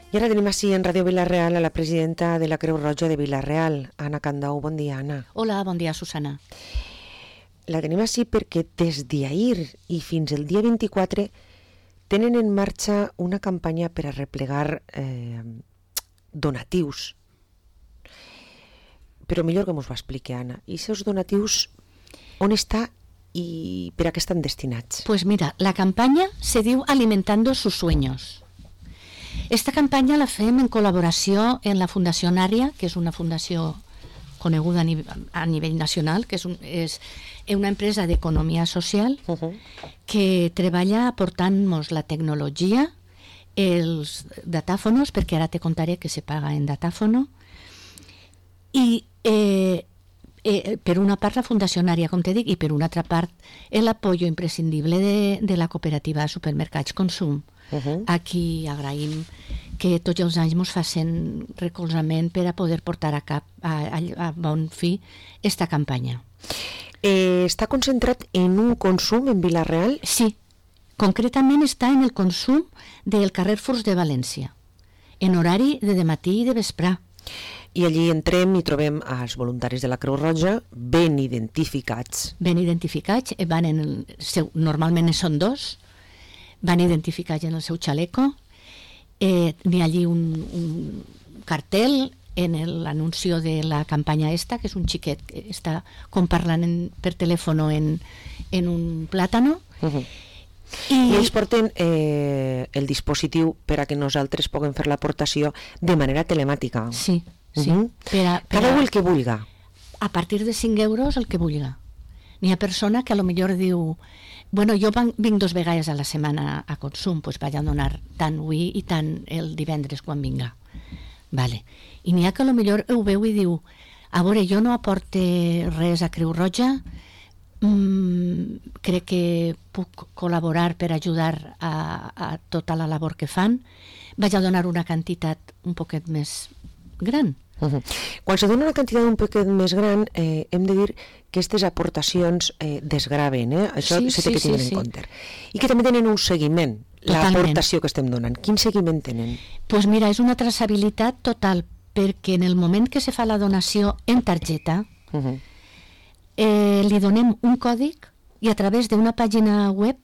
I ara tenim així en Ràdio Vila-real a la presidenta de la Creu Roja de Vila-real, Anna Candau. Bon dia, Anna. Hola, bon dia, Susana. La tenim així perquè des d'ahir i fins el dia 24 tenen en marxa una campanya per a replegar donatius. Però millor que mos ho expliqui, Anna. I aquests donatius, on està i per a què estan destinats? Pues mira, la campaña se diu Alimentando sus sueños. Esta campanya la fem en col·laboració en la Fundació Nària, que és una fundació coneguda a nivell nacional, que és una empresa d'economia social que treballa aportant-nos la tecnologia, els datàfonos, perquè ara te contaré que se paga en datàfono, i per una part la Fundació Nària, com te dic, i per una altra part l'apoyo imprescindible de la cooperativa de supermercats Consum. Aquí agraïm que tots els anys ens facin recolzament per a poder portar a bon fi esta campanya. Està concentrat en un consum en Vila-real? Sí, concretament està en el consum del carrer Furs de València, en horari de dematí i de vesprà. I allí entrem i trobem els voluntaris de la Creu Roja ben identificats. Ben identificats, normalment són dos, van identificats en el seu xaleco. N'hi ha allí un cartel en l'anuncio de la campanya esta, que és un xiquet que està com parlant per telèfon en un plàtano. I ells porten el dispositiu per a que nosaltres puguem fer l'aportació de manera telemàtica. Sí, sí. Cada un el que vulga. A partir de 5 euros el que vulga. N'hi ha persona que a lo millor diu: bueno, jo vinc 2 vegades a la setmana a Consum, doncs vaig a donar tant avui i tant el divendres quan vinga. Vale. I n'hi ha que a lo millor ho veu i diu: a veure, jo no aporte res a Creu Roja, crec que puc col·laborar per ajudar a tota la labor que fan, vaig a donar una quantitat un poquet més gran. Quan se dona una quantitat un poquet més gran, hem de dir que aquestes aportacions desgraven, això s'ha de tenir en compte. I que també tenen un seguiment, l'aportació que estem donant. Quin seguiment tenen? Doncs mira, és una traçabilitat total, perquè en el moment que se fa la donació en targeta, li donem un còdig i a través d'una pàgina web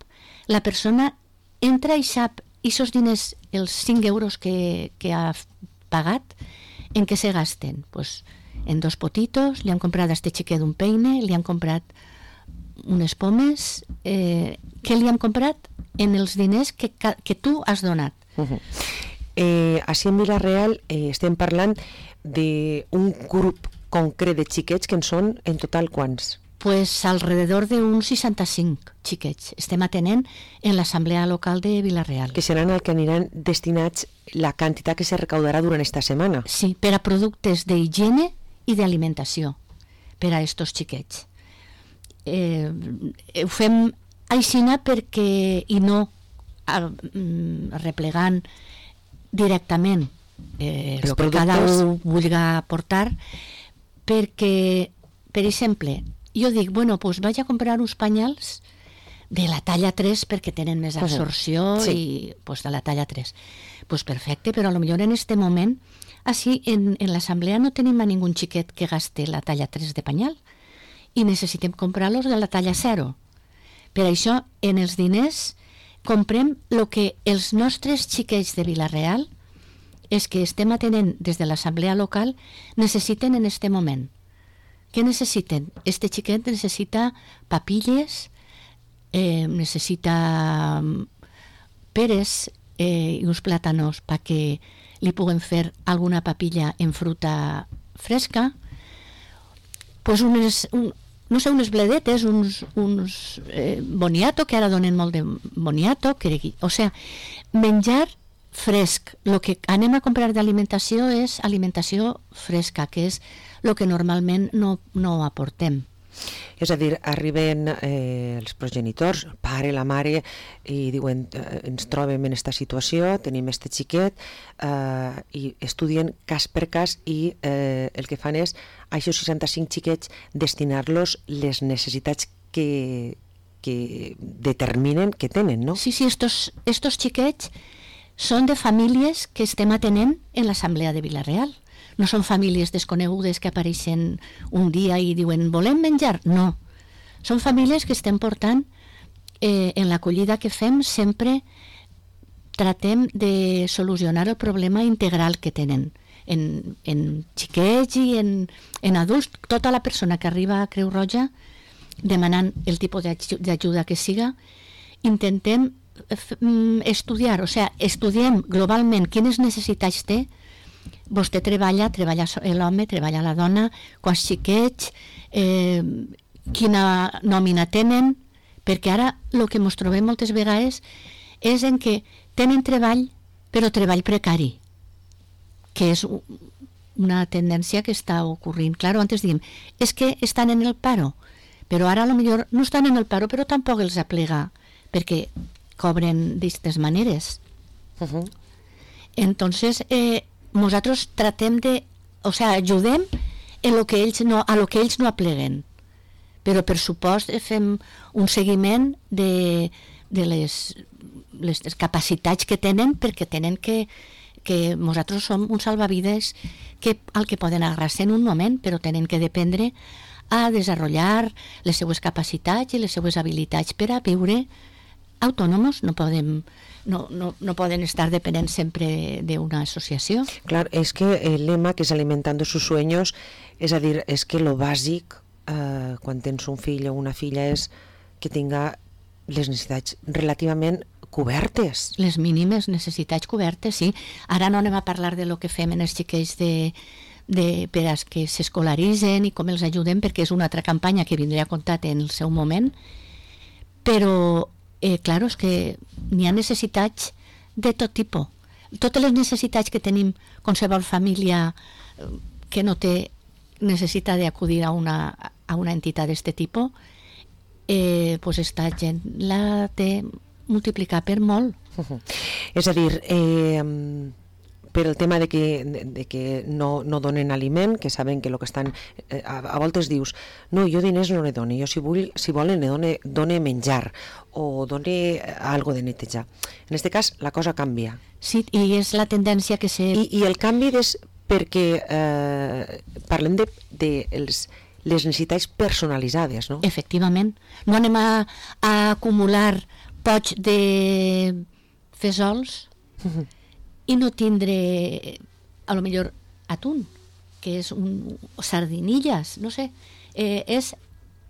la persona entra i sap aquests diners, els 5 euros que ha pagat, en què se gasten. Pues en 2 potitos, li han comprat a este xiquet un peine, li han comprat unes pomes, què li han comprat en els diners que tu has donat. Així en Vila-real estem parlant d'un grup concret de xiquets que en són en total quants? Pues alrededor d'uns 65 xiquets. Estem atenent en l'assemblea local de Vila-real. Que seran el que aniran destinats la quantitat que se recaudarà durant esta setmana. Sí, per a productes d'higiene i d'alimentació per a estos xiquets. Ho fem aixina perquè, i no replegant directament el que cada un vulgui aportar, perquè, per exemple, jo dic, bueno, doncs vaig a comprar uns pañals de la talla 3 perquè tenen més absorció i de la talla 3. Doncs perfecte, però potser en aquest moment, així en l'assemblea no tenim a ningú xiquet que gaste la talla 3 de pañal i necessitem comprar-los de la talla 0. Per això, en els diners, comprem el que els nostres xiquets de Vila-real, és que estem atenent des de l'assemblea local, necessiten en aquest moment. Què necessiten? Este xiquet necessita papilles, necessita peres i uns plàtanos perquè li puguem fer alguna papilla en fruta fresca, pues unes bledetes, uns boniato, que ara donen molt de boniato, o sigui, menjar fresc. El que anem a comprar d'alimentació és alimentació fresca, que és el que normalment no aportem. És a dir, arriben els progenitors, el pare, la mare, i diuen, ens trobem en aquesta situació, tenim este xiquet, i estudien cas per cas, i el que fan és, a aquests 65 xiquets, destinar-los les necessitats que determinen que tenen, no? Sí, estos xiquets són de famílies que estem atenent en l'Assemblea de Vila-real. No són famílies desconegudes que apareixen un dia i diuen volem menjar. No. Són famílies que estem portant en l'acollida que fem sempre tratem de solucionar el problema integral que tenen en xiquets i en adults. Tota la persona que arriba a Creu Roja demanant el tipus d'ajuda que siga, intentem estudiar, o sigui, estudiem globalment quines necessitats té. Vostè treballa l'home, treballa la dona, quants xiquets, quina nòmina tenen, perquè ara el que ens trobem moltes vegades és en què tenen treball, però treball precari, que és una tendència que està ocorrint. Claro, antes diem, és que estan en el paro, però ara potser no estan en el paro, però tampoc els aplega, perquè cobren d'aquestes maneres. Entonces, nosaltres tratem de, o sea, ajudem a lo que ells no apleguen, però per supost fem un seguiment de les capacitats que tenen, perquè tenen que nosaltres som un salvavides al que poden agarrar-se en un moment, però tenen que dependre a desenvolupar les seues capacitats i les seues habilitats per a viure autònoms. No poden estar depenent sempre d'una associació. Clar, és que el lema que és alimentando sus sueños, és a dir, és que lo bàsic quan tens un fill o una filla és que tinga les necessitats relativament cobertes. Les mínimes necessitats cobertes, sí. Ara no anem a parlar de lo que fem en els xiquets per a que s'escolaritzen i com els ajudem, perquè és una altra campanya que vindrà a comptar en el seu moment, però clar, és que n'hi ha necessitats de tot tipus. Totes les necessitats que tenim qualsevol família que no té necessita d'acudir a una entitat d'aquest tipus, pues esta gent la té multiplicar per molt. És a dir, per el tema de que no donen aliment, que saben que el que estan... A voltes dius, no, jo diners no ne dono, jo si volen ne done menjar o done algo de netejar. En aquest cas la cosa canvia. Sí, i és la tendència que I el canvi és perquè parlem de les necessitats personalitzades, no? Efectivament. No anem a acumular pots de fesols i no tindre a lo millor atún, que és sardinilles, no sé, és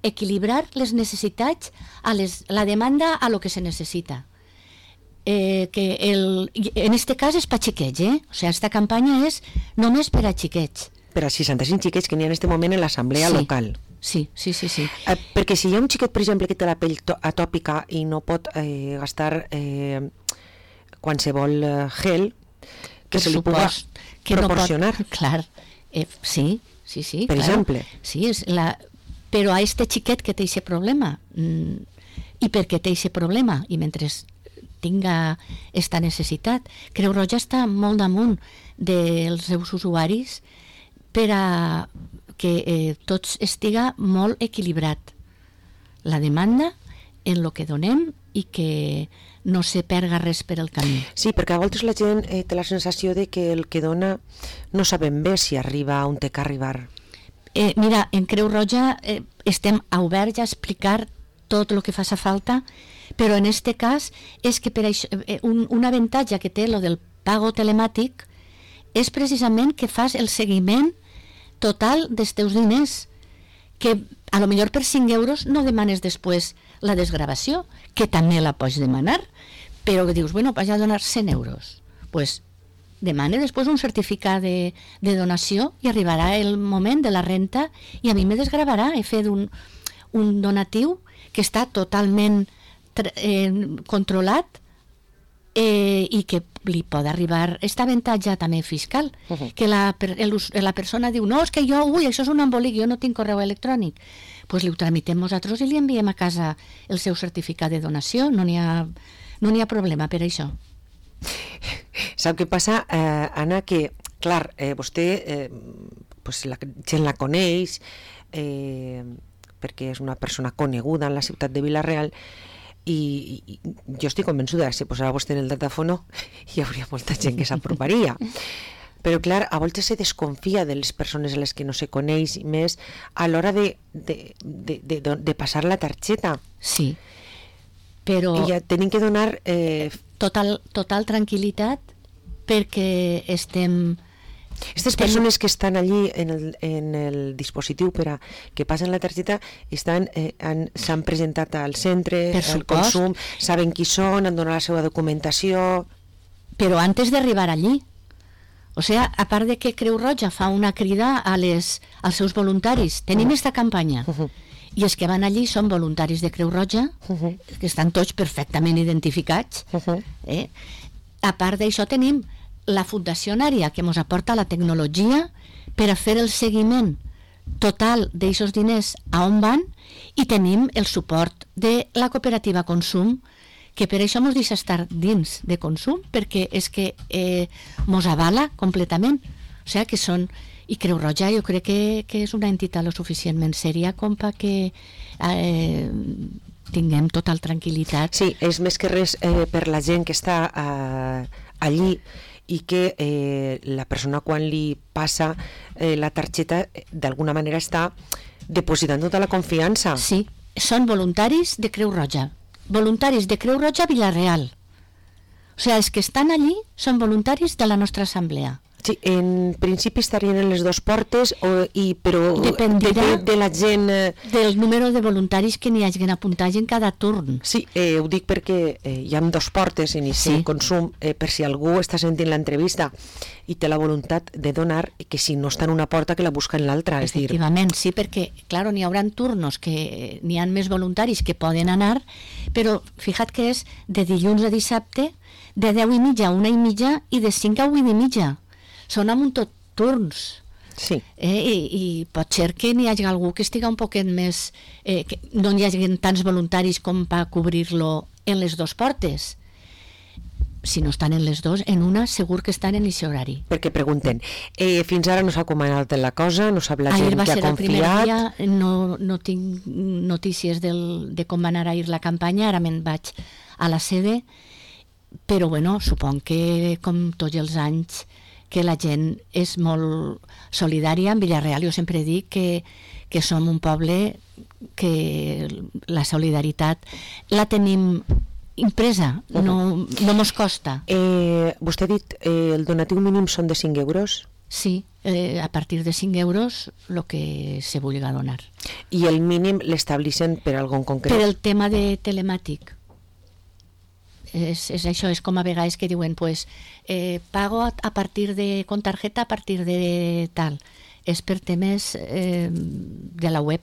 equilibrar les necessitats la demanda a lo que se necessita. En este cas és per xiquets, o sigui, esta campanya és només per a xiquets. Per a 65 xiquets que n'hi ha en aquest moment en l'assemblea local. Sí. Perquè si hi ha un xiquet, per exemple, que té la pell atòpica i no pot gastar qualsevol gel, que se li puga proporcionar. Clar, sí. Per exemple. Sí, però a este xiquet que té aquest problema, i perquè té aquest problema, i mentre tinga esta necessitat, Creu Roja està molt damunt dels seus usuaris per a que tot estiga molt equilibrat. La demanda en el que donem i que no se perga res per el camí. Sí, perquè a voltes la gent té la sensació de que el que dona no sabem bé si arriba on té que arribar. Mira, en Creu Roja estem oberts a explicar tot el que faci falta, però en aquest cas és que per això, un avantatge que té lo del pago telemàtic és precisament que fas el seguiment total dels teus diners, que a lo millor per 5 euros no demanes després la desgravació, que també la pots demanar, però que dius, bueno, vaig a donar 100 euros. Pues demane després un certificat de donació i arribarà el moment de la renta i a mi me desgravarà. He fet un donatiu que està totalment controlat i que li pot arribar aquest avantatge també fiscal, que la persona diu, no, és que això és un embolic, jo no tinc correu electrònic, doncs li ho tramitem nosaltres i li enviem a casa el seu certificat de donació, no n'hi ha problema per això. Sap què passa, Anna, que clar, vostè la gent la coneix perquè és una persona coneguda en la ciutat de Vila-real, i jo estic convençuda que si posava vostè en el datàfono hi hauria molta gent que s'aproparia. Però clar, a voltes se desconfia de les persones a les que no se coneix més a l'hora de passar la targeta. Sí, però... I ja tenim que donar... Total tranquil·litat perquè estem... Aquestes persones que estan allí en el dispositiu per a que passen la targeta s'han presentat al centre, al consum, saben qui són, han donat la seva documentació... Però antes d'arribar allí, o sigui, a part de que Creu Roja fa una crida als seus voluntaris, tenim esta campanya, i els que van allí són voluntaris de Creu Roja, que estan tots perfectament identificats. A part d'això tenim la Fundació Nària, que ens aporta la tecnologia per a fer el seguiment total d'aixòs diners a on van, i tenim el suport de la cooperativa Consum, que per això ens deixa estar dins de Consum, perquè és que ens avala completament. O sigui que són... I Creu Roja jo crec que és una entitat lo suficientment sèria com perquè tinguem total tranquil·litat. Sí, és més que res per la gent que està allí i que la persona quan li passa la targeta d'alguna manera està depositant tota la confiança. Sí, són voluntaris de Creu Roja. Voluntaris de Creu Roja Vila-real. O sigui, els que estan allí són voluntaris de la nostra assemblea. Sí, en principi estarien en les dues portes, però dependirà de la gent... del número de voluntaris que n'hi hagin apuntats en cada turn. Sí, ho dic perquè hi ha dues portes, inici i consum, per si algú està sentint l'entrevista i té la voluntat de donar, que si no està en una porta que la busca en l'altra. Efectivament, sí, perquè, clar, n'hi haurà turnos que n'hi ha més voluntaris que poden anar, però fija't que és de dilluns a dissabte, de 10:30 a 1:30 i de 5 a 8:30. Són amb un tot turns. Sí. I pot ser que n'hi hagi algú que estigui un poquet més... que no hi hagi tants voluntaris com per cobrir-lo en les dues portes. Si no estan en les dues, en una segur que estan en aquest horari. Perquè pregunten, fins ara no s'ha comanat la cosa, no sap la gent que ha confiat... Ahir va ser el primer dia, no tinc notícies de com va anar ahir la campanya, ara me'n vaig a la sede, però bueno, suponc que com tots els anys que la gent és molt solidària. En Vila-real jo sempre dic que som un poble que la solidaritat la tenim impresa, no mos costa. Vostè ha dit el donatiu mínim són de 5 euros? Sí, a partir de 5 euros el que se vulgui donar. I el mínim l'estableixen per algun concret? Per el tema de telemàtic. És això, és com a vegades que diuen pues, pago a partir de con tarjeta a partir de tal, és per temes de la web.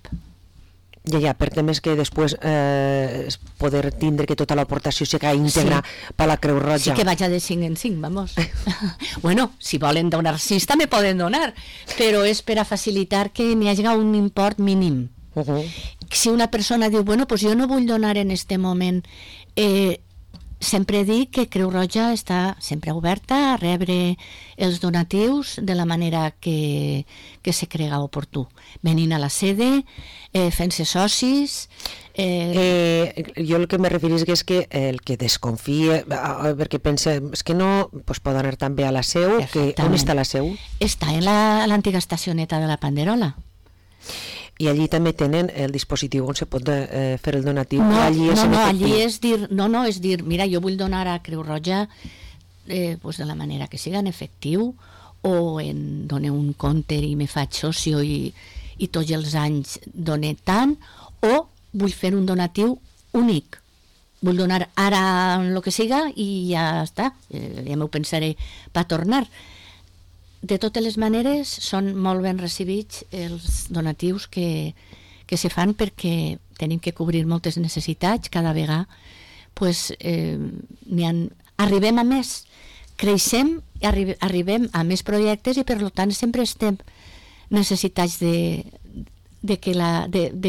Ja, per temes que després poder tindre que tota l'aportació sigui íntegra per la Creu Roja. Sí, que vaig de 5 en 5, vamos. Bueno, si volen donar 6 també poden donar, però és per a facilitar que n'hi hagi un import mínim. Si una persona diu, bueno, pues jo no vull donar en este moment, sempre dic que Creu Roja està sempre oberta a rebre els donatius de la manera que se crega oportú. Venint a la sede, fent-se socis... Jo el que me referís és que el que desconfia, perquè pensa, és que no pot anar també a la seu, on està la seu? Està en l'antiga estacioneta de la Panderola. I allí també tenen el dispositiu on se pot fer el donatiu. Allí és dir, mira, jo vull donar a Creu Roja pues de la manera que siga en efectiu, o en donar un compte i me faig socio i tots els anys doné tant, o vull fer un donatiu únic. Vull donar ara el que siga i ja està, ja m'ho pensaré per tornar. De totes les maneres, són molt ben recibits els donatius que se fan perquè tenim que cobrir moltes necessitats cada vegada. Pues, arribem a més, creixem, arribem a més projectes i per tant sempre estem necessitats de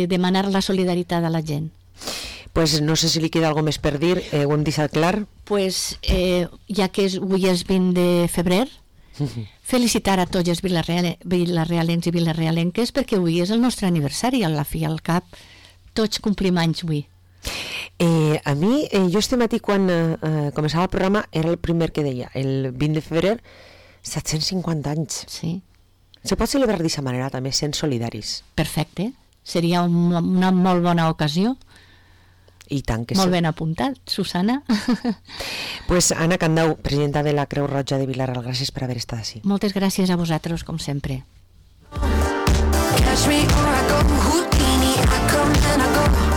demanar la solidaritat a la gent. Pues no sé si li queda alguna més per dir, ho hem deixat clar. Pues, ja que avui és 20 de febrer, felicitar a tots els vilarealencs i vilarealenques perquè avui és el nostre aniversari, a la fi al cap tots complim anys avui. A mi, jo este matí quan començava el programa era el primer que deia, el 20 de febrer, 750 anys. Sí. Se pot celebrar d'aquesta manera també, sent solidaris. Perfecte. Seria una molt bona ocasió. I tant que molt sí. ben apuntat, Susana. Pues Anna Candau, presidenta de la Creu Roja de Vilareal, gràcies per haver estat així. Moltes gràcies a vosaltres, com sempre. Catch me or I go Houdini, I come and I go.